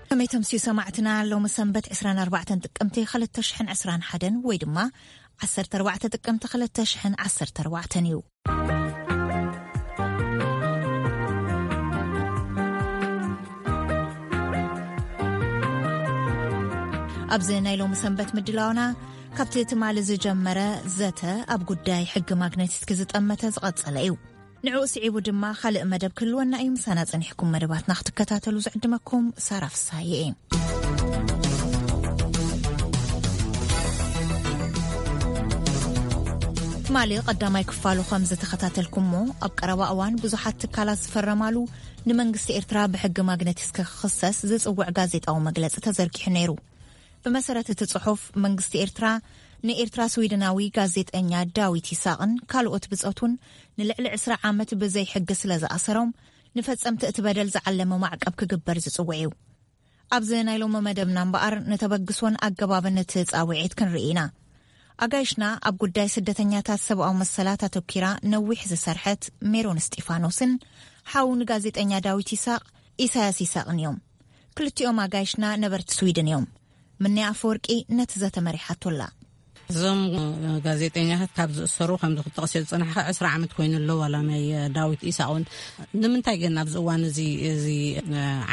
ከመይ ተምስዩ ሰማዕትና፣ ሎሚ ሰንበት ዕስራን ኣርባዕተን ጥቅምቲ ክልተ ሽሕን ዕስራን ሓደን ወይ ድማ ዓሰርተ ኣርባዕተ ጥቅምቲ ክልተ ሽሕን ዓሰርተ ኣርባዕተን እዩ። ኣብዚ ናይ ሎሚ ሰንበት ምድላውና ካብቲ ትማሊ ዝጀመረ ዘተ ኣብ ጉዳይ ሕጊ ማግነቲስክ ዝጠመተ ዝቐጸለ እዩ። ንዕኡ ስዒቡ ድማ ካልእ መደብ ክህልወና እዩ። ምሳና ጸኒሕኩም መደባትና ክትከታተሉ ዝዕድመኩም ሳራ ፍሳሐ እየ። ትማሊ ቀዳማይ ክፋሉ ከም ዝተኸታተልኩሞ፣ ኣብ ቀረባ እዋን ብዙሓት ትካላት ዝፈረማሉ፣ ንመንግስቲ ኤርትራ ብሕጊ ማግነቲስክ ክኽሰስ ዝጽውዕ ጋዜጣዊ መግለጺ ተዘርጊሑ ነይሩ። ብመሰረት እቲ ጽሑፍ፣ መንግስቲ ኤርትራ ንኤርትራ ስዊድናዊ ጋዜጠኛ ዳዊት ይስሃቅን ካልኦት ብጾቱን ንልዕሊ ዕስራ ዓመት ብዘይ ሕጊ ስለ ዝኣሰሮም፣ ንፈጸምቲ እቲ በደል ዝዓለመ ማዕቀብ ክግበር ዝጽውዕ እዩ። ኣብዚ ናይ ሎሚ መደብና እምበኣር፣ ንተበግሶን ኣገባብን እቲ ጻውዒት ክንርኢ ኢና። ኣጋይሽና ኣብ ጉዳይ ስደተኛታት ሰብኣዊ መሰላት ኣተኲራ ነዊሕ ዝሰርሐት ሜሮን እስጢፋኖስን ሓው ንጋዜጠኛ ዳዊት ይስሃቅ፣ ኢሳያስ ይስሃቅን እዮም። ክልቲኦም ኣጋይሽና ነበርቲ ስዊድን እዮም። ምንያ ኣፈወርቂ ነቲ ዘተ መሪሓቶ ኣላ። እዞም ጋዜጠኛታት ካብ ዝእሰሩ፣ ከምዚ ክትጠቕስዮ ዝጸናሕካ፣ ዕስራ ዓመት ኮይኑ ኣሎ፣ ዋላ ናይ ዳዊት ኢሳቅ እውን። ንምንታይ ግን ኣብዚ እዋን እዚ፣ እዚ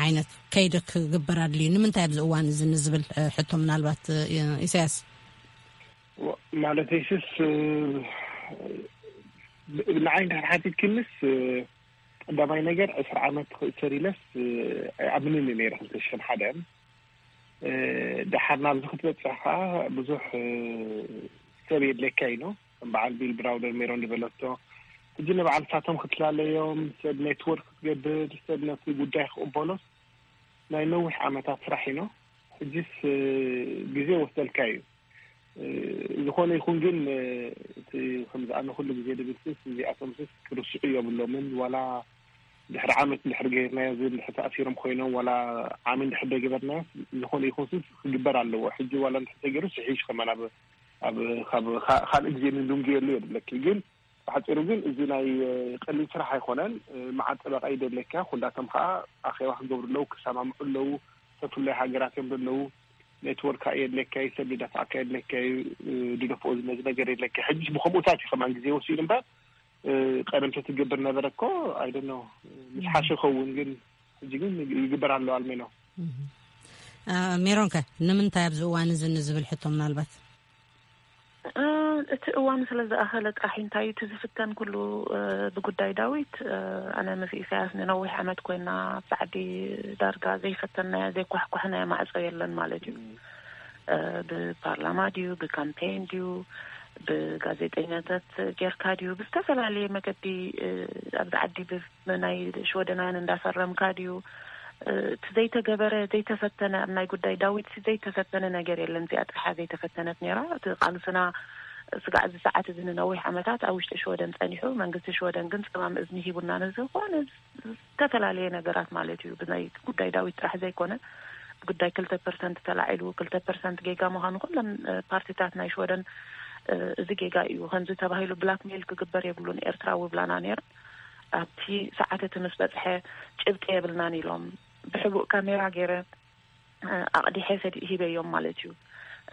ዓይነት ከይዲ ክግበር ኣድልዩ? ንምንታይ ኣብዚ እዋን እዚ ንዝብል ሕቶ፣ ምናልባት ኢሳያስ። ወ-፣ ማለት ይስስ፣ ብ-፣ ንዓይ እንድሕር ሓቲትክንስ፣ ቀዳማይ ነገር ዕስራ ዓመት ክእሰር ኢለስ ኣይኣምንን እየ ነይረ፣ ክልተ ሽሕን ሓደን። እ፣ ደሓር ናብዚ ክትበጽሕ ከኣ ብዙሕ፣ እ፣ ሰብ የድልየካ እዩ። ከም በዓል ቢል ብራውደር ሜሮን ዝበለቶ፣ ሕጂ ንበዓል ሳቶም ክትላለዮም፣ ሰብ ኔትወርክ ክትገብር፣ ሰብ ነቲ ጉዳይ ክቕበሎስ ናይ ነዊሕ ዓመታት ስራሕ እዩ። ሕጂስ፣ እ፣ ግዜ ወስደልካ እዩ። እ፣ ዝኾነ ይኹን ግን፣ እ፣ እቲ ከምዚ ኣነ ኩሉ ግዜ ድብል ስስ፣ እዚኣቶም ስስ ክርስዑ የብሎምን። ዋላ ድሕሪ ዓመት እንድሕር ገይርናዮ፣ እዚ እንድሕር ተኣሲሮም ኮይኖም፣ ዋላ ዓሚ እንድሕር ደገበርናዮ፣ ዝኾነ ይኹን ስስ ክግበር ኣለዎ። ሕጂ ዋላ እንድሕር ተገይሩ፣ ስሒሽ ከማን ኣብ፣ ኣብ፣ ካብ፣ ካ-፣ ካልእ ግዜ ንድንጉየሉ የድለኪ። ግን ብሓጺሩ ግን እዚ ናይ፣ እ፣ ቀሊል ስራሕ ኣይኮነን። እ፣ መዓት ጠበቃ ይደለካ። ኩላቶም ከኣ ኣኼባ ክገብሩ ኣለዉ፣ ክሰማምዑ ኣለዉ። ተፍላይ ሃገራት እዮም ዘለዉ። ኔትወርክ ከኣ የድለካ እዩ፣ ሰብ ዝደፍዓካ የድለካ እዩ፣ እ፣ ድደፍኦ ዝመዚ ነገር የድለካ። ሕጂስ ብኸምኡታት እዩ ከማን ግዜ ወሲዱ እምበር፣ እ፣ ቀደም ተትገብር ነበረ እኮ፣ I don't know፣ ምስ ሓሸ ይኸውን፣ ግን ሕጂ ግን ይግበር ኣሎ ኣልሜኖ። እህ። አ፣ ሜሮንከ ንምንታይ ኣብዚ እዋን እዚ ንዝብል ሕቶ ምናልባት? እ፣ እቲ እዋን ስለ ዝኣኸለ ጥራሕ እንታይ እዩ እቲ ዝፍተን ኩሉ፣ እ፣ ብጉዳይ ዳዊት፣ እ፣ ኣነ ምስ ኢሳያስ ንነዊሕ ዓመት ኮይና ኣብቲ ዓዲ ዳርጋ ዘይፈተናዮ፣ ዘይኳሕኳሕናዮ ማዕጾ የለን ማለት እዩ። እ፣ ብፓርላማ ድዩ፣ ብካምፔን ድዩ፣ ብጋዜጠኛታት ጌርካ ድዩ፣ ብዝተፈላለየ መገዲ፣ እ፣ ኣብዚ ዓዲ ብ-፣ ብናይ ሽወደናውያን እንዳፈረምካ ድዩ፣ እ፣ እቲ ዘይተገበረ፣ ዘይተፈተነ፣ ኣብ ናይ ጉዳይ ዳዊት ሲ ዘይተፈተነ ነገር የለን። እዚኣ ጥርሓ ዘይተፈተነት ነይራ። እቲ ቃልስና ስጋዕ እዚ ሰዓት እዚ ንነዊሕ ዓመታት ኣብ ውሽጢ ሽወደን ጸኒሑ፣ መንግስቲ ሽወደን ግን ጸማም እዝኒ ሂቡና ንዝኾነ ዝተፈላለየ ነገራት ማለት እዩ። ብናይ ጉዳይ ዳዊት ጥራሕ ዘይኮነ፣ ጉዳይ ክልተ ፐርሰንት ተላዒሉ፣ ክልተ ፐርሰንት ጌጋ ምዃኑ ኩለን፣ እ፣ ፓርቲታት ናይ ሽወደን፣ እ፣ እዚ ጌጋ እዩ፣ ከምዚ ተባሂሉ ብላክሜል ክግበር የብሉን ኤርትራዊ ብላና ነይረን። ኣብቲ ሰዓት እቲ ምስ በጽሐ ጭብጢ የብልናን ኢሎም ብሕቡእ ካሜራ ገይረ፣ እ፣ ኣቕዲሐ ሰዲ-፣ ሂበዮም ማለት እዩ።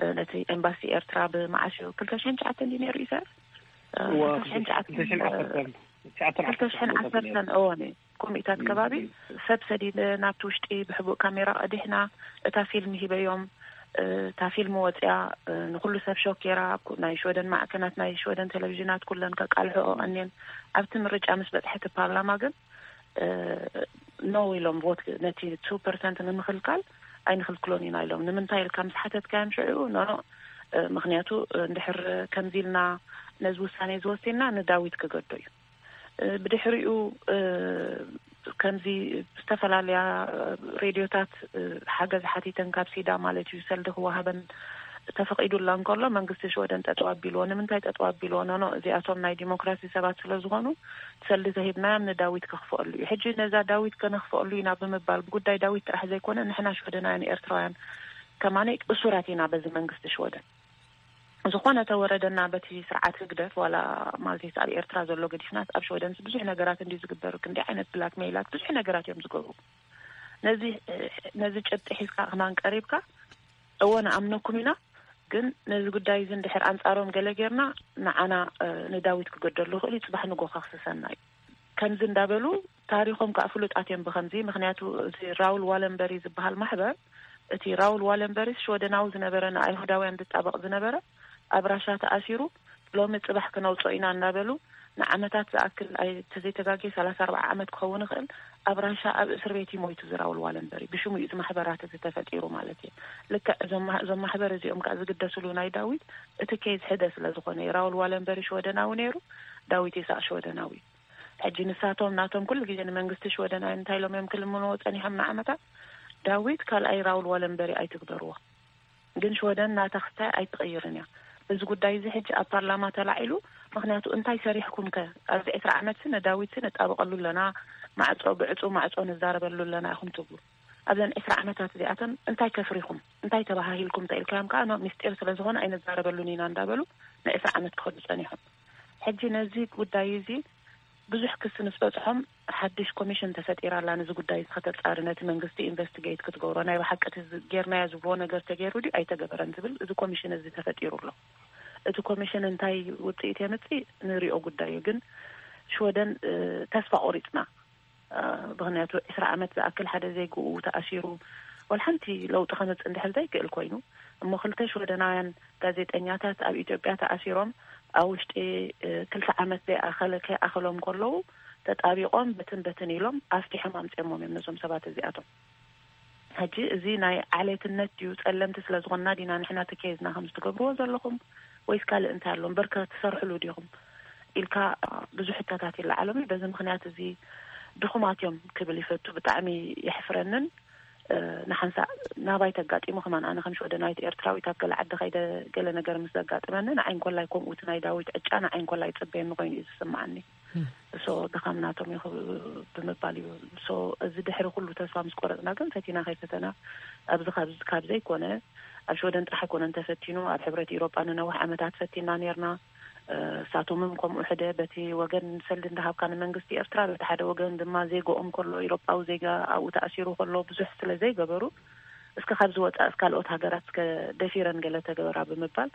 እ፣ ነቲ ኤምባሲ ኤርትራ ብመዓስ እዩ? ክልተ ሽሕን ትሽዓተን ድዩ ነይሩ ኢሳያስ? እ፣ እዋ፣ ክልተ ሽሕን ትሽዓተን፣ ክልተ ሽሕን ዓሰርተን፣ ትሽዓተን ክልተ ሽሕን ዓሰርተን፣ ዓሰርተን፣ እዋ፣ ነይ ኮሚታት እም፣ ከባቢ እም። ሰብ ሰዲደ ናብቲ ውሽጢ ብሕቡእ ካሜራ ቀዲሕና እታ ፊልም ሂበዮም። እ፣ እታ ፊልም ወፂኣ፣ እ፣ ንኩሉ ሰብ ሾክ ገይራ። ኣብ ኩ-፣ ናይ ሽወደን ማዕከናት፣ ናይ ሽወደን ቴሌቪዥናት ኩለን ከቃልሕኦ ቀንየን። ኣብቲ ምርጫ ምስ በፅሐ እቲ ፓርላማ ግን፣ እ፣ ኖ ኢሎም ቮት ነቲ ቱ ፐርሰንት ንምክልካል ኣይንክልክሎን ኢና ኢሎም። ንምንታይ ኢልካ ምስ ሓተትካዮም ሽዑ፣ ኖ፣ ኖ፣ እ፣ ምክንያቱ፣ እ፣ እንድሕር ከምዚ ኢልና ነዚ ውሳኔ ዝወሲንና ንዳዊት ክገዶ እዩ። እ፣ ብድሕሪኡ፣ እ፣ ከምዚ ዝተፈላለያ፣ እ፣ ሬድዮታት፣ እ፣ ሓገዝ ሓቲተን ካብ ሲዳ ማለት እዩ ሰልዲ ክወሃበን ተፈቒዱላ እንከሎ መንግስቲ ሽወደን ጠጠው ኣቢልዎ። ንምንታይ ጠጠው ኣቢልዎ? ኖ፣ ኖ፣ እዚኣቶም ናይ ዲሞክራሲ ሰባት ስለ ዝኾኑ ሰልዲ ተሂብናዮም ንዳዊት ከኽፍኣሉ እዩ። ሕጂ ነዛ ዳዊት ከነኽፍኣሉ ኢና ብምባል ብጉዳይ ዳዊት ጥራሕ ዘይኮነ ንሕና ሽወደናውያን ኤርትራውያን ከማነይ እሱራት ኢና በዚ መንግስቲ ሽወደን። ዝኾነ ተወረደና በቲ ስርዓት ህግደፍ ዋላ ማለት እዩ ኣብ ኤርትራ ዘሎ ገዲፍናስ ኣብ ሽወደንስ ብዙሕ ነገራት እንዲ ዝግበር ክንደይ ዓይነት ብላክ ሜላት ብዙሕ ነገራት እዮም ዝገብሩ። ነዚ ነዚ ጭብጢ ሒዝካ ክማን ቀሪብካ፣ እወ ንኣምነኩም ኢና፣ ግን ነዚ ጉዳይ እዚ እንድሕር ኣንጻሮም ገለ ጌርና፣ ንዓና ንዳዊት ክገደሉ ይኽእል እዩ፣ ጽባሕ ንጎ ከኽስሰና እዩ። ከምዚ እንዳበሉ ታሪኾም ከዓ ፍሉጣት እዮም ብኸምዚ። ምክንያቱ እቲ ራውል ዋለንበሪ ዝበሃል ማሕበር፣ እቲ ራውል ዋለንበሪስ ሽወደናዊ ዝነበረ፣ ንኣይሁዳውያን ዝጣበቕ ዝነበረ፣ ኣብ ራሻ ተኣሲሩ፣ ሎሚ ጽባሕ ክነውጾ ኢና እናበሉ ንዓመታት ዝኣክል፣ ኣይ ተዘይተጋጌ ሰላሳ ኣርባዓ ዓመት ክኸውን ይኽእል፣ ኣብ ራሻ ኣብ እስር ቤት ይሞይቱ። ዝራውል ዋለንበሪ ብሽሙ እዩ እዚ ማሕበራት እዚ ተፈጢሩ ማለት እዩ። ልክዕ እዞም ማ- እዞም ማሕበር እዚኦም ከዓ ዝግደስሉ ናይ ዳዊት እቲ ኬዝ ሕደ ስለ ዝኾነ እዩ። ራውል ዋለንበሪ ሽወደናዊ ነይሩ፣ ዳዊት ይስሐቅ ሽወደናዊ። ሕጂ ንሳቶም ናቶም ኩሉ ግዜ ንመንግስቲ ሽወደን እንታይ ኢሎም እዮም ክልምንዎ ጸኒሖም ንዓመታት? ዳዊት ካልኣይ ራውል ዋለንበሪ ኣይትግበርዎ፣ ግን ሽወደን ናታ ክስታይ ኣይትቕይርን እያ። እዚ ጉዳይ እዚ ሕጂ ኣብ ፓርላማ ተላዒሉ። ምክንያቱ እንታይ ሰሪሕኩም ከ? ኣብዚ ዕስራ ዓመት ሲ ነዳዊት ሲ ነጣብቐሉ ኣለና፣ ማዕጾ ብዕጹ ማዕጾ ንዛረበሉ ኣለና ኢኹም ትብሉ። ኣብዘን ዕስራ ዓመታት እዚኣተን እንታይ ከፍሪኹም? እንታይ ተባሃሂልኩም? ተኢልካዮም ከዓ ኖ፣ ምስጢር ስለ ዝኾነ ኣይንዛረበሉን ኢና እንዳበሉ ንዕስራ ዓመት ክኸዱ ጸኒሖም። ሕጂ ነዚ ጉዳይ እዚ ብዙሕ ክሲ ምስ በጽሖም፣ ሓድሽ ኮሚሽን ተፈጢራ ኣላ፣ ነዚ ጉዳይ እዚ ከተጻሪ፣ ነቲ መንግስቲ ኢንቨስቲጌት ክትገብሮ። ናይ ብሓቂ እቲ ዝ- ጌርናዮ ዝብልዎ ነገር ተገይሩ ድዩ ኣይተገበረን ዝብል እዚ ኮሚሽን እዚ ተፈጢሩ ኣሎ። እቲ ኮሚሽን እንታይ ውጽኢት የምጽእ ንሪኦ ጉዳይ እዩ። ግን ሽወደን እ፣ ተስፋ ቆሪጽና፣ እ፣ ምክንያቱ ዕስራ ዓመት ዝኣክል ሓደ ዜግኡ ተኣሲሩ፣ ወላ ሓንቲ ለውጢ ከምጽእ እንድሕር ዘይክእል ኮይኑ፣ እሞ ክልተ ሽወደናውያን ጋዜጠኛታት ኣብ ኢትዮጵያ ተኣሲሮም ኣብ ውሽጢ እ፣ ክልተ ዓመት ዘይኣኸለ ከይኣኸሎም ከለዉ፣ ተጣቢቆም በትን በትን ኢሎም ኣፍቲሖም ኣምጺኦሞም እዮም ነዞም ሰባት እዚኣቶም። ሕጂ እዚ ናይ ዓሌትነት ድዩ፣ ጸለምቲ ስለ ዝኾንና ዲና ንሕና እቲ ኬዝና ከምዚ ትገብርዎ ዘለኹም፣ ወይስ ካልእ እንታይ ኣሎ እምበር ከ ትሰርሕሉ ዲኹም ኢልካ ብዙሕ ሕቶታት ይለዓሎም እዩ። በዚ ምክንያት እዚ ድኹማት እዮም ክብል ይፈቱ። ብጣዕሚ የሕፍረንን እ፣ ንሓንሳእ ናባይ ተጋጢሙ ከማን፣ ኣነ ከም ሽወደናዊት ኤርትራዊት ኣብ ገለ ዓዲ ከይደ ገለ ነገር ምስ ዘጋጥመኒ፣ ንዓይ እንኮላይ ከምኡ እቲ ናይ ዳዊት ዕጫ ንዓይ እንኮላይ ይጽበየኒ ኮይኑ እዩ ዝስምዓኒ። ሶ ድኻም ናቶም እዩ ክብ- ብምባል እዩ። ሶ እዚ ድሕሪ ኩሉ ተስፋ ምስ ቆረጽና ግን ፈቲና ከይፈተና ኣብዚ ካብ ካብ ዘይኮነ ኣብ ሽወደን ጥራሕ ኣይኮነን ተፈቲኑ፣ ኣብ ሕብረት ኢሮጳ ንነዊሕ ዓመታት ፈቲና ኔርና። እ፣ እሳቶምም ከምኡ ሕደ በቲ ወገን ሰልዲ እንዳሃብካ ንመንግስቲ ኤርትራ፣ በቲ ሓደ ወገን ድማ ዜጋኦም ከሎ፣ ኢሮጳዊ ዜጋ ኣብኡ ተኣሲሩ ከሎ ብዙሕ ስለ ዘይገበሩ፣ እስከ ካብዚ ወጻእ እስከ ካልኦት ሃገራት እስከ ደፊረን ገለ ተገበራ ብምባል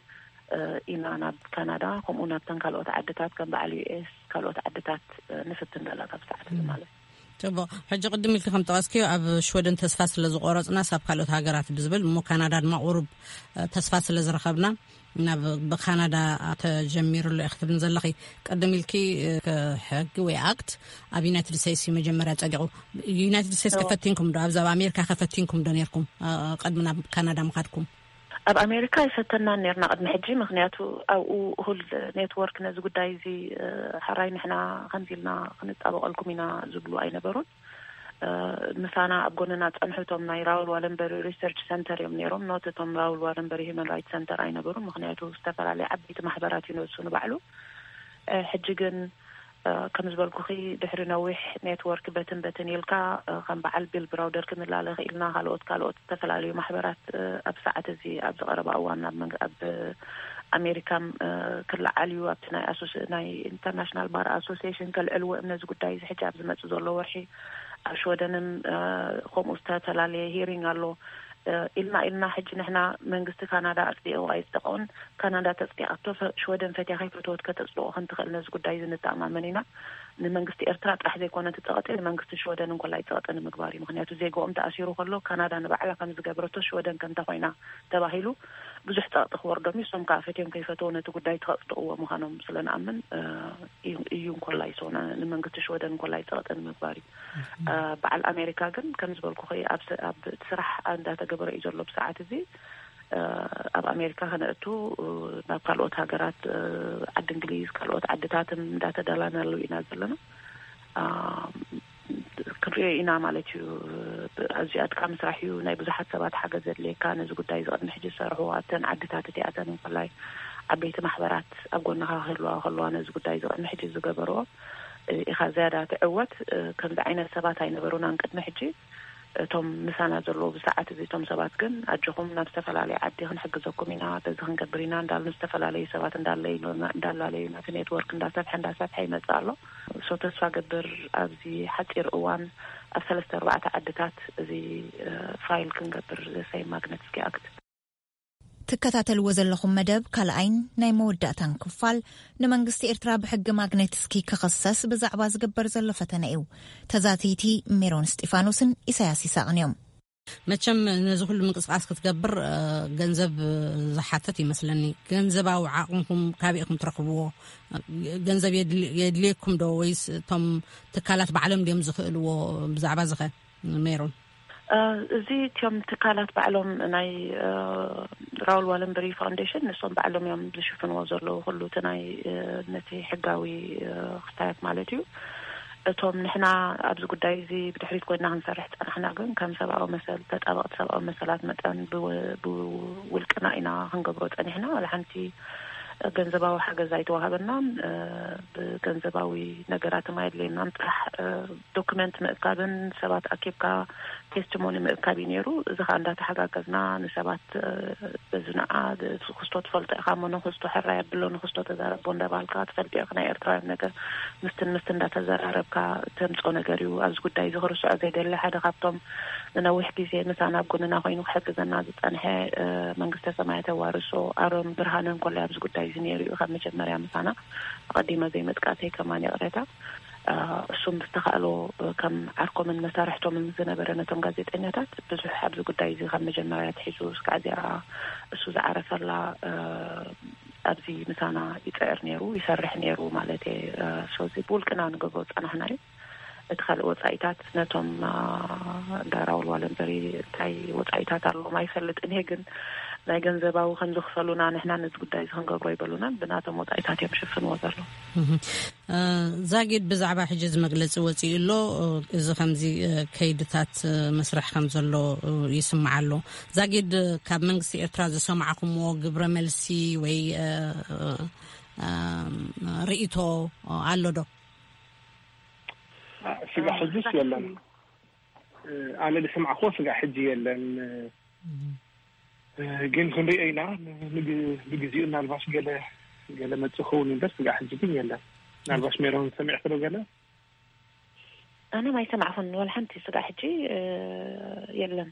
እ፣ ኢና ናብ ካናዳ፣ ከምኡ ናብተን ካልኦት ዓድታት ከም በዓል ዩ ኤስ ካልኦት ዓድታት እ፣ ንፍትን ዘለና ካብ ሰዓት እዚ ማለት እዩ። ጽቡቕ። ሕጂ ቅድም ኢልኪ ከም ጠቐስክዮ ኣብ ሽወደን ተስፋ ስለ ዝቆረጽናስ ኣብ ካልኦት ሃገራት ብዝብል፣ እሞ ካናዳ ድማ ቁሩብ እ፣ ተስፋ ስለ ዝረኸብና ናብ ብካናዳ ተጀሚሩ ኣሎ ኢኺ ትብልን ዘለኺ። ቅድም ኢልኪ እ፣ ሕጊ ወይ ኣክት ኣብ ዩናይትድ ስቴትስ እዩ መጀመርያ ጸዲቑ። ዩናይትድ ስቴትስ እዎ። ከፈቲንኩም ዶ? ኣብዚ ኣብ ኣሜሪካ ከፈቲንኩም ዶ ኔርኩም እ፣ ቅድሚ ናብ ካናዳ ምኻድኩም? ኣብ ኣሜሪካ ኣይፈተናን ኔርና ቅድሚ ሕጂ፣ ምክንያቱ ኣብኡ እኹል ኔትወርክ ነዚ ጉዳይ እዚ እ፣ ሕራይ ንሕና ከምዚ ኢልና ክንጣበቐልኩም ኢና ዝብሉ ኣይነበሩን። እ፣ ምሳና ኣብ ጎንና ጸንሑ እቶም ናይ ራውል ዋለንበሪ ሪሰርች ሰንተር እዮም ነይሮም። ኖት እቶም ራውል ዋለንበሪ ሂውማን ራይት ሰንተር ኣይነበሩን፣ ምክንያቱ ዝተፈላለየ ዓበይቲ ማሕበራት እዩ ነሱ ንባዕሉ። እ፣ ሕጂ ግን እ፣ ከም ዝበልኩኺ ድሕሪ ነዊሕ ኔትወርክ በትን በትን ኢልካ እ፣ ከም በዓል ቢል ብራውደር ክንላለ ክኢልና፣ ካልኦት ካልኦት ዝተፈላለዩ ማሕበራት እ፣ ኣብ ሰዓት እዚ ኣብዚ ቀረባ እዋን ኣብ መንግ- ኣብ ኣሜሪካም እ፣ ክለዓል እዩ። ኣብቲ ናይ ኣሶስ ናይ ኢንተርናሽናል ባር ኣሶሲሽን ከልዕልዎ እዮም ነዚ ጉዳይ እዚ። ሕጂ ኣብ ዝመጽእ ዘሎ ወርሒ ኣብ ሽወደንም እ፣ ከምኡ ዝተፈላለየ ሂሪንግ ኣሎ እ፣ ኢልና ኢልና ሕጂ ንሕና መንግስቲ ካናዳ ኣጽዲቑ ኣይጽደቐውን፣ ካናዳ ተጽዲቓቶ ፈ- ሽወደን ፈትያ ከይፈተወት ከተጽድቆ ከምትኽእል ነዚ ጉዳይ እዚ ንተኣማመን ኢና። ንመንግስቲ ኤርትራ ጥራሕ ዘይኮነ እቲ ጸቕጢ፣ ንመንግስቲ ሽወደን እንኮላይ ጸቕጢ ንምግባር እዩ። ምክንያቱ ዜጋኦም ተኣሲሩ ከሎ ካናዳ ንባዕላ ከም ዝገብረቶ ሽወደን ከምታ ኮይና ተባሂሉ ብዙሕ ጸቕጢ ክወርዶም እዩ። እሶም ከዓ ፈትዮም ከይፈተው ነቲ ጉዳይ ተኸጽድቕዎ ምዃኖም ስለ ንኣምን እ፣ እዩ እዩ እንኮላይ ሶ ን- ንመንግስቲ ሽወደን እንኮላይ ጸቕጢ ንምግባር እዩ። እ፣ በዓል ኣሜሪካ ግን ከም ዝበልኩ ኣብ ስ- ኣብ እቲ ስራሕ እንዳተገበረ እዩ ዘሎ ብሰዓት እዚ። እ፣ ኣብ ኣሜሪካ ከነእቱ እ፣ ናብ ካልኦት ሃገራት እ፣ ዓዲ እንግሊዝ ካልኦት ዓድታትን እንዳተዳላናሉ ኢና ዘለና። እ፣ ክንሪኦ ኢና ማለት እዩ። ብ- ኣዝዩ ኣድካሚ ስራሕ እዩ። ናይ ብዙሓት ሰባት ሓገዝ ዘድልየካ። ነዚ ጉዳይ እዚ ቅድሚ ሕጂ ዝሰርሑ ኣብተን ዓድታት እቲኣተን እንኮላይ ዓበይቲ ማሕበራት ኣብ ጎንኻ ክህልዋ ከለዋ ነዚ ጉዳይ እዚ ቅድሚ ሕጂ ዝገበርዎ እ፣ ኢኻ ዝያዳ ትዕወት። እ፣ ከምዚ ዓይነት ሰባት ኣይነበሩናን ቅድሚ ሕጂ። እቶም ምሳና ዘለዉ ብሰዓት እዚ እቶም ሰባት ግን ኣጆኹም ናብ ዝተፈላለየ ዓዲ ክንሕግዘኩም ኢና፣ በዚ ክንገብር ኢና እንዳሉ ዝተፈላለዩ ሰባት እንዳለዩና እንዳላለዩና እቲ ኔትወርክ እንዳሰፍሐ እንዳሰፍሐ ይመጽእ ኣሎ። ሶ ተስፋ ገብር ኣብዚ ሓጺር እዋን ኣብ ሰለስተ ኣርባዕተ ዓድታት እዚ ፋይል ክንገብር ዘሳይ ማግነትስኪ ኣክት ትከታተልዎ ዘለኹም መደብ ካልኣይን ናይ መወዳእታን ክፋል፣ ንመንግስቲ ኤርትራ ብሕጊ ማግኔትስኪ ክኽሰስ ብዛዕባ ዝግበር ዘሎ ፈተነ እዩ። ተዛተይቲ ሜሮን እስጢፋኖስን ኢሳያስ ይስሐቕን እዮም። መቸም ነዚ ኩሉ ምንቅስቃስ ክትገብር ገንዘብ ዝሓትት ይመስለኒ። ገንዘባዊ ዓቕምኹም ካበይ ኢኹም ትረኽብዎ? ገንዘብ የድልየኩም ዶ ወይስ እቶም ትካላት ባዕሎም ድዮም ዝኽእልዎ? ብዛዕባ ዝኸ ሜሮን እዚ እቲኦም ትካላት ባዕሎም ናይ ራውል ዋለንበሪ ፋውንዴሽን ንሶም ባዕሎም እዮም ዝሽፍንዎ ዘለዉ ኩሉ እቲ ናይ ነቲ ሕጋዊ ክስታያት ማለት እዩ። እቶም ንሕና ኣብዚ ጉዳይ እዚ ብድሕሪት ኮይና ክንሰርሕ ጸናሕና ግን ከም ሰብኣዊ መሰል ተጣበቕቲ ሰብኣዊ መሰላት መጠን ብውልቅና ኢና ክንገብሮ ጸኒሕና። ዋላ ሓንቲ ገንዘባዊ ሓገዝ ኣይተዋሃበናን። ብገንዘባዊ ነገራት ኣየድልየናን ጥራሕ ዶክመንት ምእካብን ሰባት ኣኪብካ ቴስቲሞኒ ምእካብ እዩ ነይሩ። እዚ ከዓ እንዳተሓጋገዝና ንሰባት በዚ ንዓ ክስቶ ትፈልጦ ኢኻ፣ እሞ ንክስቶ ሕራይ ኣብሎ ንክስቶ ተዛረቦ እንዳባልካ ትፈልጥ ኢኻ ናይ ኤርትራውያን ነገር ምስትን ምስትን እንዳተዘራረብካ ተምጾ ነገር እዩ። ኣብዚ ጉዳይ እዚ ክርስዖ ዘይደሊ ሓደ ካብቶም ንነዊሕ ግዜ ምሳና ኣብ ጎንና ኮይኑ ክሕግዘና ዝጸንሐ መንግስተ ሰማያት የዋርሶ ኣሮን ብርሃነ እንኮላይ ኣብዚ ጉዳይ እዚ ነይሩ እዩ ካብ መጀመርያ ምሳና ኣቐዲመ ዘይምጥቃሰይ ከማን ይቕሬታ። እሱም ዝተኻእሎ ከም ዓርኮምን መሳርሕቶምን ዝነበረ ነቶም ጋዜጠኛታት ብዙሕ ኣብዚ ጉዳይ እዚ ካብ መጀመርያ ኣትሒዙ እስካዕ እዚኣ እሱ ዝዓረፈላ ኣብዚ ምሳና ይፅዕር ነይሩ ይሰርሕ ነይሩ ማለት እየ። ሶዚ ብውልቅና ንገብሮ ዝፀናሕና እዩ። እቲ ካልእ ወፃኢታት ነቶም እንዳ ራውል ዋለንበሪ እንታይ ወፃኢታት ኣለዎም ኣይፈልጥን እየ፣ ግን ናይ ገንዘባዊ ከም ዝኽፈሉና ንሕና ነዚ ጉዳይ እዚ ክንገብሮ ኣይበሉናን። ብናቶም ወፃኢታት እዮም ዝሽፍንዎ ዘለዉ። ዛጊድ ብዛዕባ ሕጂ እዚ መግለፂ ወፂኡ ኣሎ። እዚ ከምዚ ከይድታት መስርሕ ከም ዘሎ ይስማዕ ኣሎ። ዛጊድ ካብ መንግስቲ ኤርትራ ዝሰማዕኩምዎ ግብረ መልሲ ወይ ርእይቶ ኣሎ ዶ? ስጋ ሕጅስ የለን። ኣነ ዝሰማዕኩዎ ስጋ ሕጂ የለን። ግን ክንሪኦ ኢና። ብግዜኡ እናልባሽ ገለ ገለ መጽእ ክኸውን እምበር ስጋ ሕጂ ግን የለን። ናልባሽ ሜሮን ሰሚዕክዶ ገለ? ኣነ ማይሰማዕኹን ወላ ሓንቲ ስጋ ሕጂ የለን።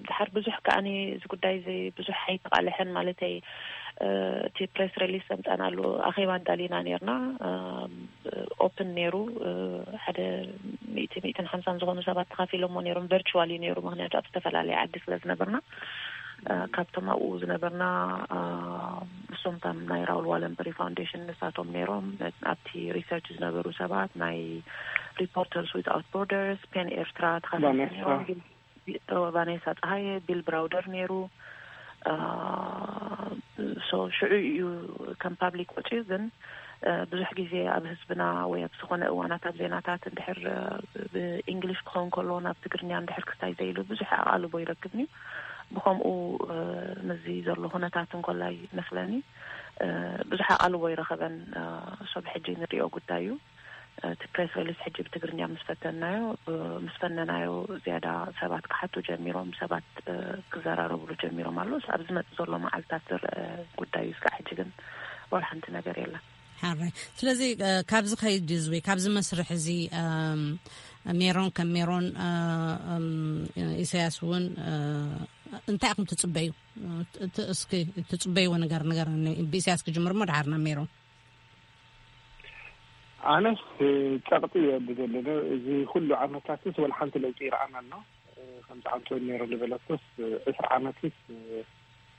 ድሓር ብዙሕ ከኣኒ እዚ ጉዳይ እዚ ብዙሕ ኣይተቃልሐን ማለተይ። እቲ ፕሬስ ሪሊስ ዘምጻናሉ ኣኼባ ኣዳሊና ነርና። ኦፕን ነይሩ። ሓደ ሚእቲ ሚእትን ሓምሳን ዝኾኑ ሰባት ተኻፊሎሞ ነይሮም። ቨርቹዋል እዩ ነይሩ፣ ምክንያቱ ኣብ ዝተፈላለየ ዓዲ ስለ ዝነበርና። ካብቶም ኣብኡ ዝነበርና እሶምታን ናይ ራውል ዋለንበሪ ፋውንዴሽን ንሳቶም ነይሮም። ኣብቲ ሪሰርች ዝነበሩ ሰባት ናይ ሪፖርተርስ ዊትኣውት ቦርደርስ፣ ፔን ኤርትራ ተኻፊሎም ነይሮም። ቫኔሳ ፀሃየ፣ ቢል ብራውደር ነይሩ። ሶ ሽዑ እዩ ከም ፓብሊክ ወፅዩ። ግን ብዙሕ ግዜ ኣብ ህዝብና ወይ ኣብ ዝኾነ እዋናት ኣብ ዜናታት እንድሕር ብእንግሊሽ ክኸውን ከሎ ናብ ትግርኛ እንድሕር ክስታይ ዘይሉ ብዙሕ ኣቓልቦ ይረክብን እዩ። ብኸምኡ ምስዚ ዘሎ ኩነታት እንኮላይ መስለኒ ብዙሕ ኣቓልቦ ይረኸበን። ሶብ ሕጂ ንሪኦ ጉዳይ እዩ። እቲ ፕሬስ ሪሊስ ሕጂ ብትግርኛ ምስ ፈተናዮ ምስ ፈነናዮ ዝያዳ ሰባት ክሓቱ ጀሚሮም፣ ሰባት ክዘራረብሉ ጀሚሮም ኣሎ። ኣብ ዝመጽእ ዘሎ መዓልታት ዝረአ ጉዳይ እዩ። እስካዕ ሕጂ ግን ወላ ሓንቲ ነገር የለን። ሓራይ። ስለዚ ካብዚ ከይድ እዚ ወይ ካብዚ መስርሕ እዚ ሜሮን ከም ሜሮን ኢሳያስ እውን እንታይ ኢኹም ትጽበዩ? እስኪ ትጽበይዎ ነገር ነገር ብኢሳያስ ክጅምር እሞ ድሓርና ሜሮን። ኣነስ ጸቕጢ እየ ብዘለነ እዚ ኩሉ ዓመታትስ ወላ ሓንቲ ለውጢ ይረኣና ኣሎ። ከምዚ ኣንቶኒ ኔሮ ዝበለቶስ ዕስራ ዓመትስ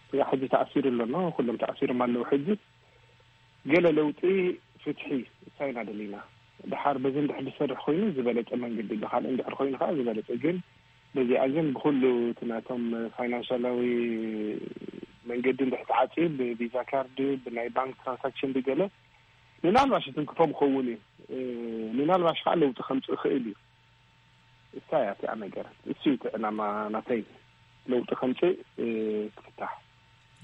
ስጋ ሕጂ ተኣሲሩ ኣሎ ኖ ኩሎም ተኣሲሮም ኣለዉ። ሕጂ ገለ ለውጢ ፍትሒ እሳይና ደሊና ድሓር በዚ እንድሕር ዝሰርሕ ኮይኑ ዝበለጸ መንገዲ ብካልእ እንድሕር ኮይኑ ከዓ ዝበለጸ ግን በዚኣ ግን ብኩሉ እቲ ናቶም ፋይናንሻላዊ መንገዲ እንድሕር ተዓፅዩ ብቪዛ ካርድ ብናይ ባንክ ትራንሳክሽን ብገለ ምናልባሽ ትንክፎም ክኸውን እዩ። ምናልባሽ ከዓ ለውጢ ከምፅእ ይኽእል እዩ። እሳ እያ እቲኣ ነገር እሱ እዩ እቲ ዕላማ ናተይ ለውጢ ከምፅእ ክፍታሕ።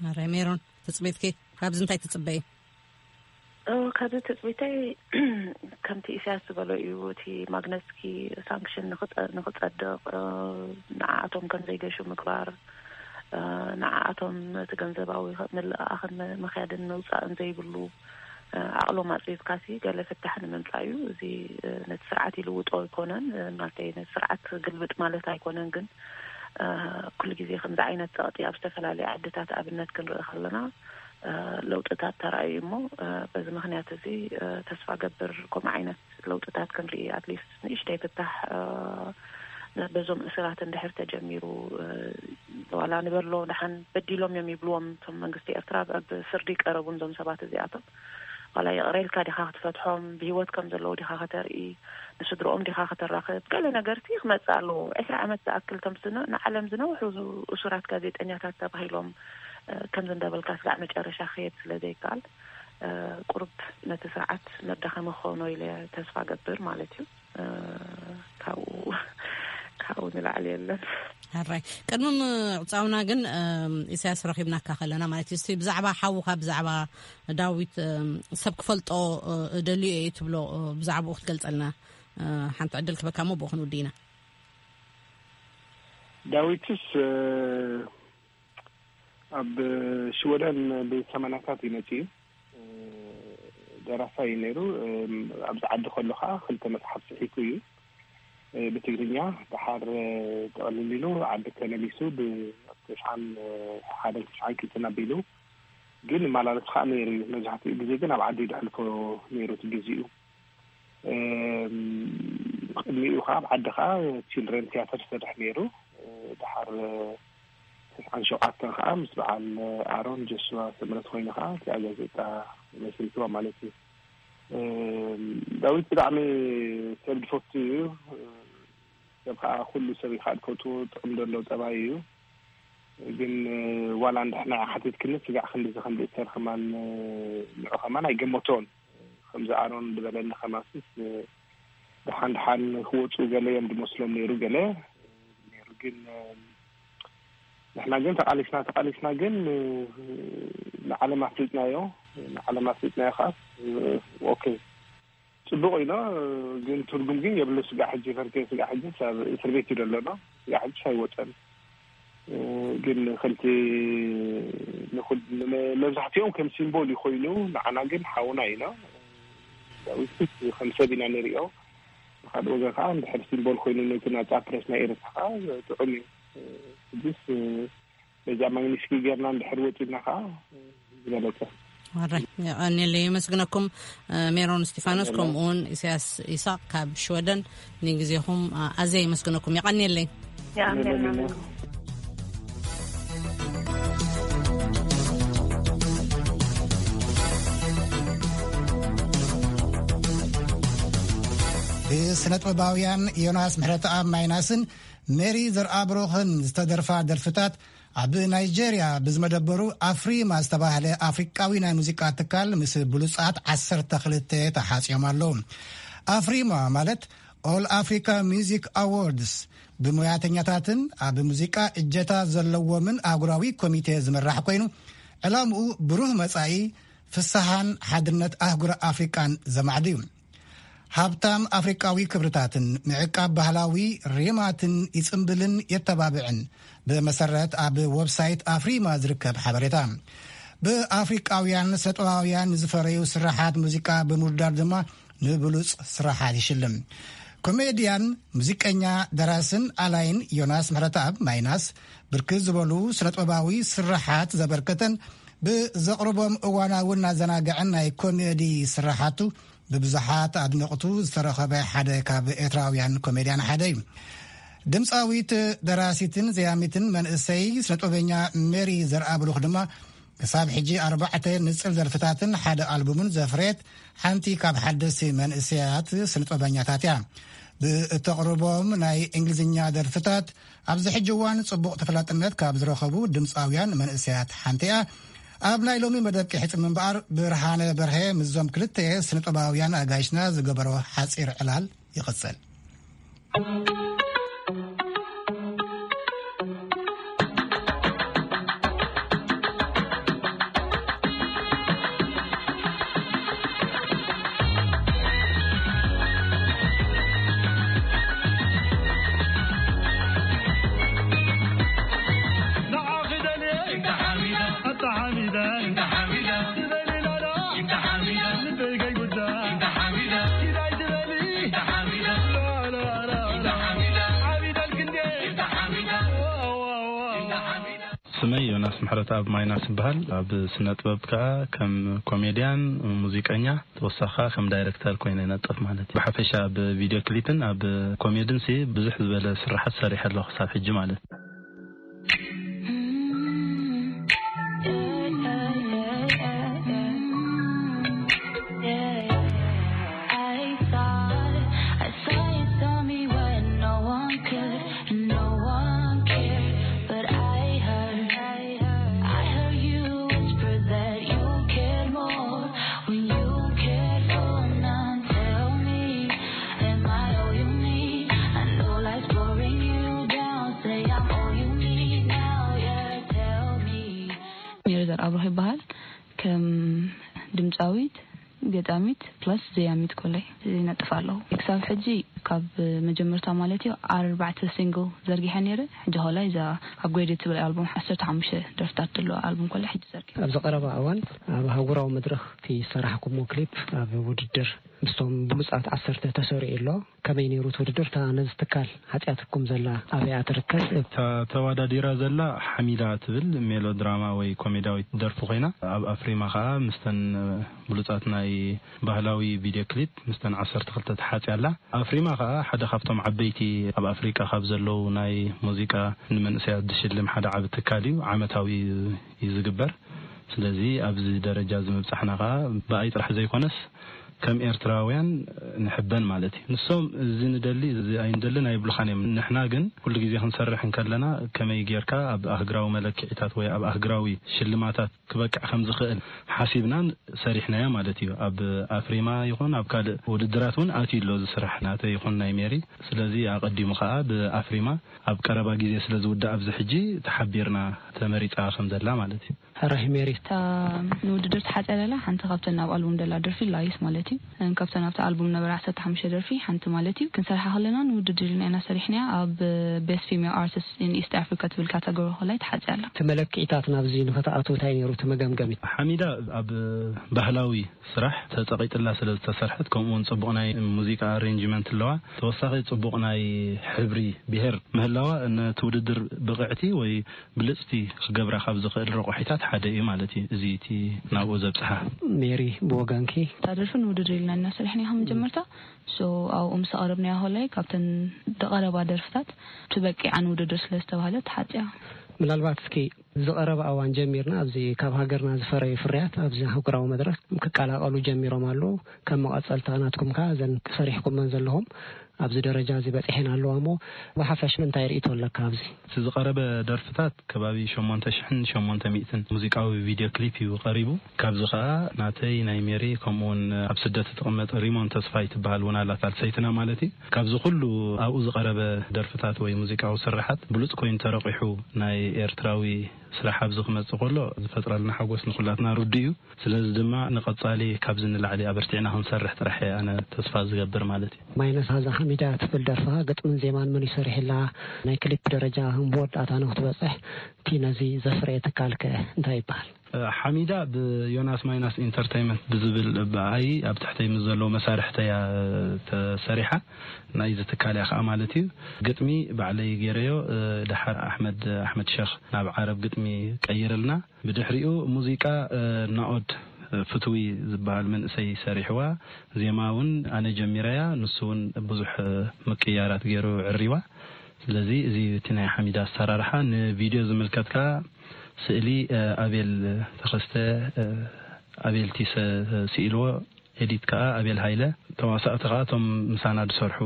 ኣረ ሜሮን ትፅቢትኪ ካብዚ እንታይ ትፅበይ? እ፣ ካብዚ ትጽቢተይ ከምቲ ኢሳያስ ዝበሎ እዩ። እቲ ማግነስኪ ሳንክሽን ንኽጸ-፣ ንኽጸድቕ፣ እ፣ ንዓኣቶም ከም ዘይገሹ ምግባር፣ እ፣ ንዓኣቶም እቲ ገንዘባዊ ኸ-፣ ምልእኣኽን ም-፣ ምኽያድን ምውጻእን ዘይብሉ፣ እ፣ ዓቕሎም ኣጽቢብካሲ ገለ ፍታሕ ንምምጻእ እዩ። እዚ፣ እ፣ ነቲ ስርዓት ይልውጦ ኣይኮነን፣ እ፣ ማለተይ ነቲ ስርዓት ግልብጥ ማለት ኣይኮነን፣ ግን፣ እ፣ ኩሉ ግዜ ከምዚ ዓይነት ጸቕጢ ኣብ ዝተፈላለዩ ዓድታት ኣብነት ክንርኢ ከለና፣ እ፣ ለውጥታት ተራእዩ እሞ፣ እ፣ በዚ ምኽንያት እዚ፣ እ፣ ተስፋ ገብር ከምኡ ዓይነት ለውጥታት ክንርኢ፣ ኣትሊስት ንእሽተይ ፍታሕ፣ እ፣ በዞም እሱራት እንድሕር ተጀሚሩ፣ እ፣ ዋላ ንበሎ ደሓን በዲሎም እዮም ይብልዎም እቶም መንግስቲ ኤርትራ፣ ኣብ ፍርዲ ቀረቡን እዞም ሰባት እዚኣቶም። ዋላ ይቕረ ኢልካ ዲኻ ክትፈትሖም፣ ብህይወት ከም ዘለዉ ዲኻ ከተርኢ፣ ንስድርኦም ዲኻ ከተራኽብ፣ ገለ ነገርቲ ክመጽእ ኣለዎ። ዕስራ ዓመት ዝኣክል እቶም ዝነ-፣ ንዓለም ዝነውሑ እሱራት ጋዜጠኛታት ተባሂሎም፣ እ፣ ከምዚ እንዳበልካ ስጋዕ መጨረሻ ክኸየድ ስለ ዘይከኣል፣ እ፣ ቁሩብ ነቲ ስርዓት መዳኸሚ ክኾኖ ኢለ ተስፋ ገብር ማለት እዩ። እ፣ ካብኡ፣ ካብኡ ንላዕሊ የለን። ሕራይ። ቅድሚ ምዕጻውና ግን፣ እም፣ ኢሳያስ ረኺብናካ ከለና ማለት እዩ፣ እስቲ ብዛዕባ ሓውኻ፣ ብዛዕባ ዳዊት፣ እም፣ ሰብ ክፈልጦ፣ እ፣ እደልዮ እየ ትብሎ፣ እ፣ ብዛዕባኡ ክትገልጸልና፣ እ፣ ሓንቲ ዕድል ክበካ እሞ ብኡ ክንውድእ ኢና። ዳዊትስ፣ እ፣ ኣብ ሽወደን ብሰማንያታት እዩ መጺኡ። እ፣ ደራሳይ እዩ ነይሩ። እ፣ ኣብዚ ዓዲ ከሎ ኸዓ ክልተ መጽሓፍ ጽሒፉ እዩ። እ፣ ብትግርኛ፣ ደሓር፣ እ፣ ጠቕሊሉ ዓዲ ተመሊሱ ብ-፣ ተስዓን፣ እ፣ ሓደን ተስዓን ክልተን ኣቢሉ ግን ይመላለስ ኸዓ ነይሩ እዩ። መብዛሕትኡ ግዜ ግን ኣብ ዓዲ እዩ ዘሕልፎ ነይሩ እቲ ግዜኡ። እም፣ ቅድሚኡ ኸዓ ኣብ ዓዲ ኸዓ ቺልድረን ቲያትር ይሰርሕ ነይሩ። እ፣ ደሓር፣ እ፣ ተስዓን ሸውዓተን ኸዓ ምስ በዓል ኣሮን ጆስዋ ስምረት ኮይኑ ኸዓ እቲኣ ጋዜጣ መስሪትዋ ማለት እዩ። እም፣ ዳዊት ብጣዕሚ ሰብ ዝፈቱ እዩ። ሰብ ኸዓ ኩሉ ሰብ እዩ ኸዓ ዝፈትዎ፣ ጥቕሚ ዘለዎ ጠባይ እዩ። ግን፣ እ፣ ዋላ ንድሕና ሓቲትክኒ ስጋዕ ክንድዚ ከም ዝእሰር ከማን፣ እ፣ ንዑ ከማን ኣይገመቶን። ከምዚ ኣሮን ዝበለኒ ከማንስስ፣ እ፣ ደሓን ደሓን ክወፁ ገለ እዮም ዝመስሎም ነይሩ፣ ገለ ነይሩ። ግን፣ እ፣ ንሕና ግን ተቓሊስና፣ ተቓሊስና ግን፣ እ፣ ንዓለም ኣፍሊጥናዮ። ንዓለም ኣፍሊጥናዮ ከኣ፣ እ፣ ኦኬ፣ ጽቡቕ ኢሎ፣ ግን ትርጉም ግን የብሉ። ስጋዕ ሕጂ ፈርኬ፣ ስጋዕ ሕጂ ኣብ እስር ቤት እዩ ዘሎ። ስጋዕ ሕጂ ኣይወጸን። ግን ከምቲ ንኹል-፣ ንመ-፣ መብዛሕትኦም ከም ሲምቦል እዩ ኮይኑ፣ ንዓና ግን ሓውና ኢና። ዳዊት ከም ሰብ ኢና ንሪኦ። ብኻልእ ወገን ከዓ እንድሕር ሲምቦል ኮይኑ ነቲ ናጻ ፕረስ ናይ ኤርትራ ከዓ ጥዑም እዩ። ሕጂስ በዛ ማግኒስኪ ጌርና እንድሕር ወፂና ከዓ ዝበለፀ። ወራይ፣ የቐንየለይ፣ የመስግነኩም። እ፣ ሜሮን እስጢፋኖስ፣ የቐንየለይ። ከምኡውን ኢሳያስ ኢሳቅ ካብ ሽወደን፣ ንግዜኹም፣ እ፣ ኣዝየ የመስግነኩም። የቐንየለይ። የቐንየልና። ብስነ ጥበባውያን ዮናስ ምሕረተኣብ ማይናስን ሜሪ ዘርኣብሩኽን ዝተደርፋ ደርፍታት ኣብ ናይጄርያ ብዝመደበሩ ኣፍሪማ ዝተባህለ ኣፍሪቃዊ ናይ ሙዚቃ ትካል ምስ ብሉጻት ዓሰርተ ክልተ ተሓጽዮም ኣለዉ። ኣፍሪማ ማለት ኦል ኣፍሪካ ሚውዚክ ኣዎርድስ ብሙያተኛታትን ኣብ ሙዚቃ እጀታ ዘለዎምን ኣህጉራዊ ኮሚቴ ዝምራሕ ኮይኑ፣ ዕላምኡ ብሩህ መጻኢ፣ ፍስሃን ሓድነት ኣህጉር ኣፍሪቃን ዘማዕድ እዩ። ሃብታም ኣፍሪቃዊ ክብርታትን ምዕቃብ ባህላዊ ሪማትን ይጽምብልን የተባብዕን፣ ብመሰረት ኣብ ወብሳይት ኣፍሪማ ዝርከብ ሓበሬታ። ብኣፍሪቃውያን ሰጥባውያን ዝፈረዩ ስራሓት ሙዚቃ ብምውዳድ ድማ ንብሉጽ ስራሓት ይሽልም። ኮሜድያን፣ ሙዚቀኛ፣ ደራስን ኣላይን ዮናስ ምሕረተኣብ ማይናስ ብርክት ዝበሉ ስነጥበባዊ ስራሓት ዘበርከተን ብዘቕርቦም እዋናውን ኣዘናግዕን ናይ ኮሜዲ ስራሓቱ ብብዙሓት ኣድነቕቱ ዝተረኸበ ሓደ ካብ ኤርትራውያን ኮሜድያን ሓደ እዩ። ድምፃዊት፣ ደራሲትን ዘያሚትን መንእሰይ ስነጥበበኛ ሜሪ ዘርኣብሩኽ ድማ ክሳብ ሕጂ ኣርባዕተ ንጽል ደርፍታትን ሓደ ኣልቡምን ዘፍረየት ሓንቲ ካብ ሓደስቲ መንእሰያት ስነጥበበኛታት እያ። ብእተቕርቦም ናይ እንግሊዝኛ ደርፍታት ኣብዚ ሕጂ እዋን ጽቡቕ ተፈላጥነት ካብ ዝረኸቡ ድምፃውያን መንእሰያት ሓንቲ እያ። ኣብ ናይ ሎሚ መደብ ቂሕጽ ምንባር ብርሃነ በርሀ ምስዞም ክልተ ስነጥበባውያን ኣጋይሽና ዝገበሮ ሓጺር ዕላል ይቕጽል። ስመይ ዮናስ ምሕረት ኣብ ማይናስ ይበሃል። ኣብ ስነ ጥበብ ከኣ ከም ኮሜድያን፣ ሙዚቀኛ፣ ተወሳኺ ከኣ ከም ዳይሬክተር ኮይነ ይነጥፍ ማለት እዩ። ብሓፈሻ ኣብ ቪድዮ ክሊፕን ኣብ ኮሜድን ሲ ብዙሕ ዝበለ ስራሓት ሰሪሐ ኣለኹ ክሳብ ሕጂ ማለት እዩ። I thought I saw you saw me when no one could and no one cared. But I heard, I heard you whisper that you cared more when you cared for none. Tell me, am I all you need? I know life's boring you down. Say I'm all you need now. Yeah, tell me. ሜሪ ዘርኣብሩኽ ይበሃል። ከም ድምፃዊት፣ ገጣሚት ፕላስ ዘያሚት ኮለይ ይነጥፍ ኣለኹ። ክሳብ ሕጂ ካብ መጀመርታ ማለት እዩ ኣርባዕተ ሲንግል ዘርጊሐ ነይረ። ሕጂ ኸላይ እዛ ኣፕግሬድ ትብል ኣልቡም ዓሰርተ ሓሙሽተ ደርፍታት ዘለዎ ኣልቡም ኮለይ ሕጂ ዘርጊሐ። ኣብዚ ቀረባ እዋን ኣብ ኣህጉራዊ መድረኽ እቲ ዝሰራሕኩሞ ክሊፕ ኣብ ውድድር ምስቶም ብሉፃት ዓሰርተ ተሰሪዑ ኣሎ። ከመይ ነይሩ እቲ ውድድር? እታ ነዚ ትካል ሓፂኣትኩም ዘላ ኣበይ እያ ትርከብ? እታ ተወዳዲራ ዘላ ሓሚዳ ትብል ሜሎድራማ ወይ ኮሜዳዊት ደርፊ ኮይና፣ ኣብ ኣፍሪማ ከዓ ምስተን ብሉፃት ናይ ባህላዊ ቪድዮ ክሊፕ ምስተን ዓሰርተ ክልተ ተሓፅያ ኣላ። ኣፍሪማ ከዓ ሓደ ካብቶም ዓበይቲ ኣብ ኣፍሪቃ ካብ ዘለዉ ናይ ሙዚቃ ንመንእሰያት ዝሽልም ሓደ ዓቢ ትካል እዩ። ዓመታዊ እዩ ዝግበር። ስለዚ ኣብዚ ደረጃ እዚ ምብፃሕና ከዓ ብኣይ ጥራሕ ዘይኮነስ ከም ኤርትራውያን ንሕበን ማለት እዩ። ንሶም እዚ ንደሊ እዚ ኣይንደልን ኣይብሉኻን እዮም። ንሕና ግን ኩሉ ግዜ ክንሰርሕ እንከለና ከመይ ጌርካ ኣብ ኣህግራዊ መለክዒታት ወይ ኣብ ኣህግራዊ ሽልማታት ክበቅዕ ከም ዝኽእል ሓሲብናን ሰሪሕናዮ ማለት እዩ። ኣብ ኣፍሪማ ይኹን ኣብ ካልእ ውድድራት እውን ኣትዩ ኣሎ እዚ ስራሕ ናተይ ይኹን ናይ ሜሪ። ስለዚ ኣቐዲሙ ከዓ ብኣፍሪማ ኣብ ቀረባ ግዜ ስለ ዝውዳእ ኣብዚ ሕጂ ተሓቢርና ተመሪፃ ከም ዘላ ማለት እዩ። ሕራይ ሜሪ። እታ ንውድድር ተሓፅያ ዘላ ሓንቲ ካብተን ኣብ ኣልቡም ዘላ ደርፊ ላይስ ማለት እዩ። ካብተን ኣብቲ ኣልቡም ነበራ ዓሰርተ ሓሙሽተ ደርፊ ሓንቲ ማለት እዩ። ክንሰርሓ ከለና ንውድድር ኢልና ኢና ሰሪሕናያ። ኣብ ቤስት ፊሜል ኣርቲስት ኢን ኢስት ኣፍሪካ ትብል ካተጎሪ ኮላይ ተሓፅያ ኣላ። እቲ መለክዒታት ናብዚ ንክትኣትው እንታይ ነይሩ እቲ መገምገሚ? ሓሚዳ ኣብ ባህላዊ ስራሕ ተጸቒጥላ ስለ ዝተሰርሐት፣ ከምኡ እውን ጽቡቕ ናይ ሙዚቃ ኣሬንጅመንት ኣለዋ። ተወሳኺ ጽቡቕ ናይ ሕብሪ ብሄር ምህላዋ ነቲ ውድድር ብቕዕቲ ወይ ብልጽቲ ክገብራ ካብ ዝኽእል ረቑሒታት ሓደ እዩ ማለት እዩ። እዚ እቲ ናብኡ ዘብጽሓ። ሜሪ ብወገንኪ? እታ ደርፊ ንውድድር ኢልና ኢና ሰሪሕናያ ካብ መጀመርታ። ሶ ኣብኡ ምስ ኣቕረብናያ ኮላይ ካብተን ዝቐረባ ደርፍታት ትበቂዓ ንውድድር ስለ ዝተባህለት ተሓጽያ። ምናልባት እስኪ ዝቐረበ እዋን ጀሚርና ኣብዚ ካብ ሃገርና ዝፈረዩ ፍርያት ኣብዚ ኣህጉራዊ መድረኽ ክቀላቐሉ ጀሚሮም ኣለዉ። ከም መቐጸልታ ናትኩም ከኣ እዘን ሰሪሕኩመን ዘለኹም ኣብዚ ደረጃ እዚ በጺሐን ኣለዋ እሞ ብሓፈሻ እንታይ ርእይቶ ኣለካ ኣብዚ? እቲ ዝቐረበ ደርፍታት ከባቢ ሸሞንተ ሽሕን ሸሞንተ ሚእትን ሙዚቃዊ ቪድዮ ክሊፕ እዩ ቀሪቡ። ካብዚ ከኣ ናተይ ናይ ሜሪ ከምኡ እውን ኣብ ስደት እትቕመጥ ሪሞን ተስፋይ ትበሃል እውን ኣላ ሳልሰይትና ማለት እዩ። ካብዚ ኩሉ ኣብኡ ዝቐረበ ደርፍታት ወይ ሙዚቃዊ ስርሓት ብሉጽ ኮይኑ ተረቒሑ ናይ ኤርትራዊ ስራሕ ኣብዚ ክመጽእ ከሎ ዝፈጥረልና ሓጎስ ንኹላትና ርዱእ እዩ። ስለዚ ድማ ንቐጻሊ ካብዚ ንላዕሊ ኣበርቲዕና ክንሰርሕ ጥራሕ እየ ኣነ ተስፋ ዝገብር ማለት እዩ። ማይነስ ሃዛ ሓሚዳ ትብል ደርፍኻ ግጥምን ዜማን መን እዩ ሰሪሕላ? ናይ ክሊፕ ደረጃ ከም መወዳእታ ንክትበጽሕ እቲ ነዚ ዘፍረየ ትካል ከ እንታይ ይበሃል? ሓሚዳ ብዮናስ ማይናስ ኢንተርተይመንት ብዝብል ብኣይ ኣብ ትሕተይ ምስ ዘለዉ መሳርሕተይ እያ ተሰሪሓ። ናይዚ ትካል እያ ከዓ ማለት እዩ። ግጥሚ ባዕለይ ገይረዮ። ድሓር ኣሕመድ ኣሕመድ ሸኽ ናብ ዓረብ ግጥሚ ቀይርልና። ብድሕሪኡ ሙዚቃ ናኦድ ፍትዊ ዝበሃል መንእሰይ ሰሪሕዋ። ዜማ እውን ኣነ ጀሚረያ፣ ንሱ እውን ብዙሕ ምቅያራት ገይሩ ዕሪዋ። ስለዚ እዚ እቲ ናይ ሓሚዳ ኣሰራርሓ። ንቪድዮ ዝምልከት ከዓ ስእሊ ኣቤል ተኸስተ ኣቤል ቲሰ ስኢልዎ፣ ኤዲት ከዓ ኣቤል ሃይለ፣ ተዋሳእቲ ከዓ እቶም ምሳና ዝሰርሑ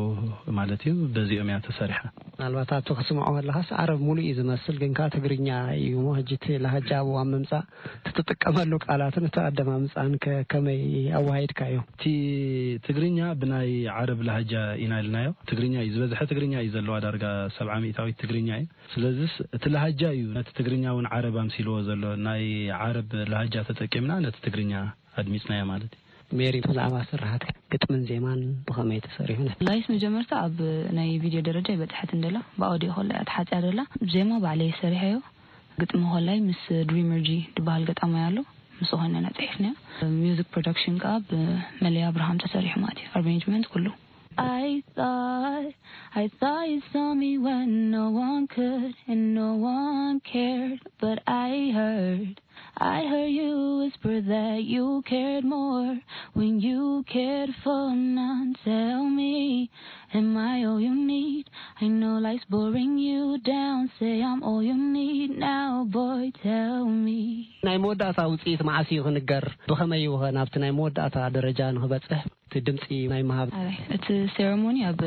ማለት እዩ። በዚኦም እያ ተሰሪሓ። ምናልባት ኣብቲ ክስምዖ ከለኻስ ዓረብ ሙሉእ እዩ ዝመስል፣ ግን ከዓ ትግርኛ እዩ እሞ ሕጂ እቲ ላህጃ ኣብ እዋን ምምፃእ እቲ ትጥቀመሉ ቃላትን እቲ ኣደማምፃን ከ ከመይ ኣወሃሂድካዮ? እቲ ትግርኛ ብናይ ዓረብ ላህጃ ኢና ኢልናዮ። ትግርኛ እዩ ዝበዝሐ፣ ትግርኛ እዩ ዘለዋ፣ ዳርጋ ሰብዓ ሚእታዊት ትግርኛ እዩ። ስለዚስ እቲ ላህጃ እዩ ነቲ ትግርኛ እውን ዓረብ ኣምሲልዎ ዘሎ። ናይ ዓረብ ላህጃ ተጠቂምና ነቲ ትግርኛ ኣድሚፅናዮ ማለት እዩ። ሜሪ፣ ብዛዕባ ስርሓት ግጥምን ዜማን ብኸመይ ተሰሪሑ? ላይስ መጀመርታ ኣብ ናይ ቪድዮ ደረጃ ኣይበጽሐትን ደላ፣ ብኣውዲዮ ኮላ እያ ተሓጽያ ደላ። ዜማ ባዕለይ ሰሪሐዮ፣ ግጥሚ ኮላይ ምስ ድሪመር ጂ ዝበሃል ገጣማይ ኣሎ፣ ምስ ኾይነ ኢና ጽሒፍናዮ። ሚውዚክ ፕሮዳክሽን ከኣ ብመለይ ኣብርሃም ተሰሪሑ ማለት እዩ፣ ኣሬንጅመንት ኩሉ። I thought, I thought you saw me when no one could and no one cared, but Heard. I heard you whisper that you cared more when you cared for none. Tell me, am I all you need? I know life's boring you down. Say I'm all you need now, boy, tell me. ናይ መወዳእታ ውፅኢት መዓስ እዩ ክንገር? ብኸመይ እዩ ኸ ናብቲ ናይ መወዳእታ ደረጃ ንኽበፅሕ? እቲ ድምፂ ናይ ምሃብ ኣይ፣ እቲ ሴረሞኒ ኣብ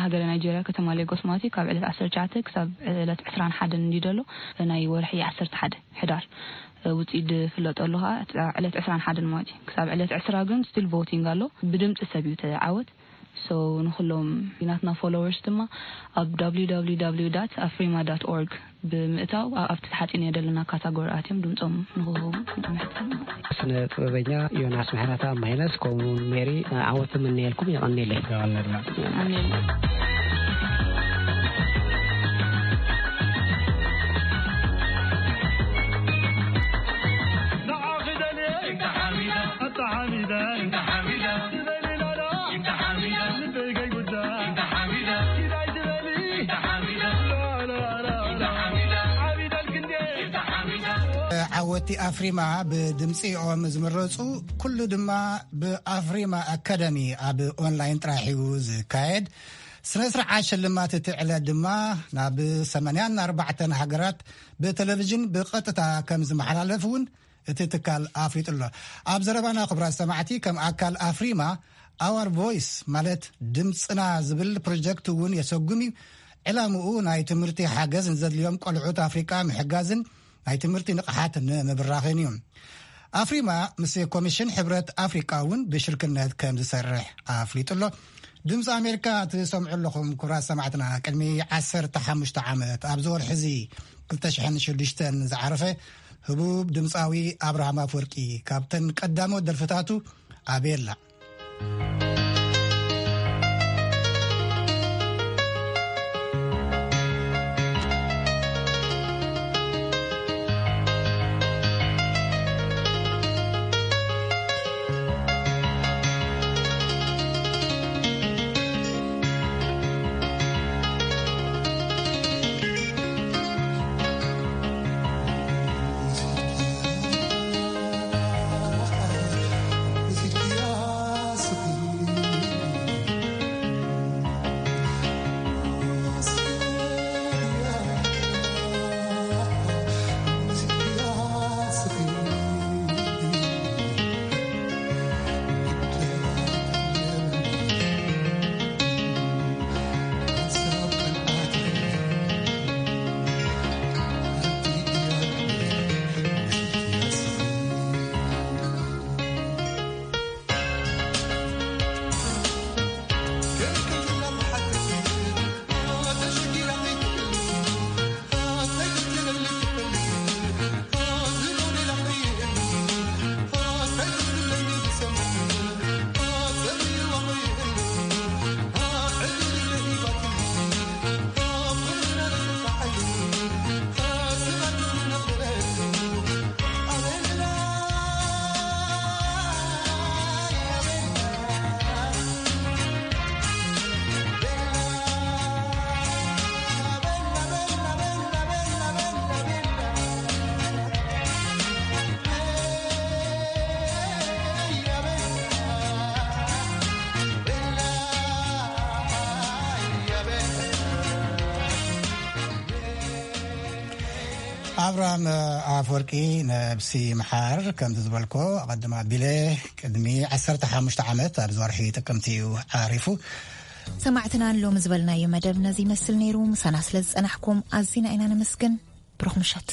ሃገረ ናይጄርያ፣ ከተማ ሌጎስ ማለት እዩ፣ ካብ ዕለት ዓሰርተ ትሽዓተ ክሳብ ዕለት ዕስራን ሓደን እንዲ ደሎ ናይ ወርሒ ዓሰርተ ሓደ ሕዳር ውፅኢት ዝፍለጠሉ ከዓ ዕለት ዕስራን ሓደን ማለት እዩ። ክሳብ ዕለት ዕስራ ግን ስቲል ቮቲንግ ኣሎ። ብድምፂ ሰብ እዩ ተዓወት። So ንኩሎም ናትና ፎሎወርስ ድማ ኣብ www afrima org ብምእታው ኣብቲ ተሓፂነ ዘለና ካታጎሪ ኣትዮም ድምፆም ንክህቡ ንሕተም። ስነ ጥበበኛ ዮናስ ምሕረተኣብ ማይነስ፣ ከምኡ እውን ሜሪ፣ ዓወት እምነየልኩም። የቐንየለይ። የቐንየልና። ኣሜን። ዓወቲ ኣፍሪማ ብድምፂኦም ዝምረፁ ኩሉ ድማ ብኣፍሪማ ኣካዳሚ ኣብ ኦንላይን ጥራሕ እዩ ዝካየድ። ስነ ስርዓት ሽልማት እቲ ዕለት ድማ ናብ ሰማንያን ኣርባዕተን ሃገራት ብቴሌቪዥን ብቐጥታ ከም ዝመሓላለፍ እውን እቲ ትካል ኣፍሊጡ ኣሎ። ኣብ ዘረባና ክቡራት ሰማዕቲ፣ ከም ኣካል ኣፍሪማ ኣዋር ቮይስ ማለት ድምፅና ዝብል ፕሮጀክት እውን የሰጉም እዩ። ዕላምኡ ናይ ትምህርቲ ሓገዝ ንዘድልዮም ቆልዑት ኣፍሪቃ ምሕጋዝን ናይ ትምህርቲ ንቕሓት ንምብራኽን እዩ። ኣፍሪማ ምስ ኮሚሽን ሕብረት ኣፍሪቃ እውን ብሽርክነት ከም ዝሰርሕ ኣፍሊጡ ኣሎ። ድምፂ ኣሜሪካ ትሰምዑ ኣለኹም ክቡራት ሰማዕትና። ቅድሚ ዓሰርተ ሓሙሽተ ዓመት ኣብዚ ወርሒ እዚ ክልተ ሽሕን ሽዱሽተን ዝዓረፈ ህቡብ ድምፃዊ ኣብርሃም ኣፍወርቂ ካብተን ቀዳሞት ደርፍታቱ ኣቤላ። ኣብርሃም ኣፍወርቂ ነብሲ ምሓር፣ ከምቲ ዝበልኮ ኣቐድም ኣቢለ፣ ቅድሚ ዓሰርተ ሓሙሽተ ዓመት ኣብዚ ወርሒ ጥቅምቲ እዩ ዓሪፉ። ሰማዕትና፣ ሎሚ ዝበልናዮ መደብ ነዚ ይመስል ነይሩ። ምሳና ስለ ዝጸናሕኩም ኣዚና ኢና ነመስግን። ብሩኽ ምሸት።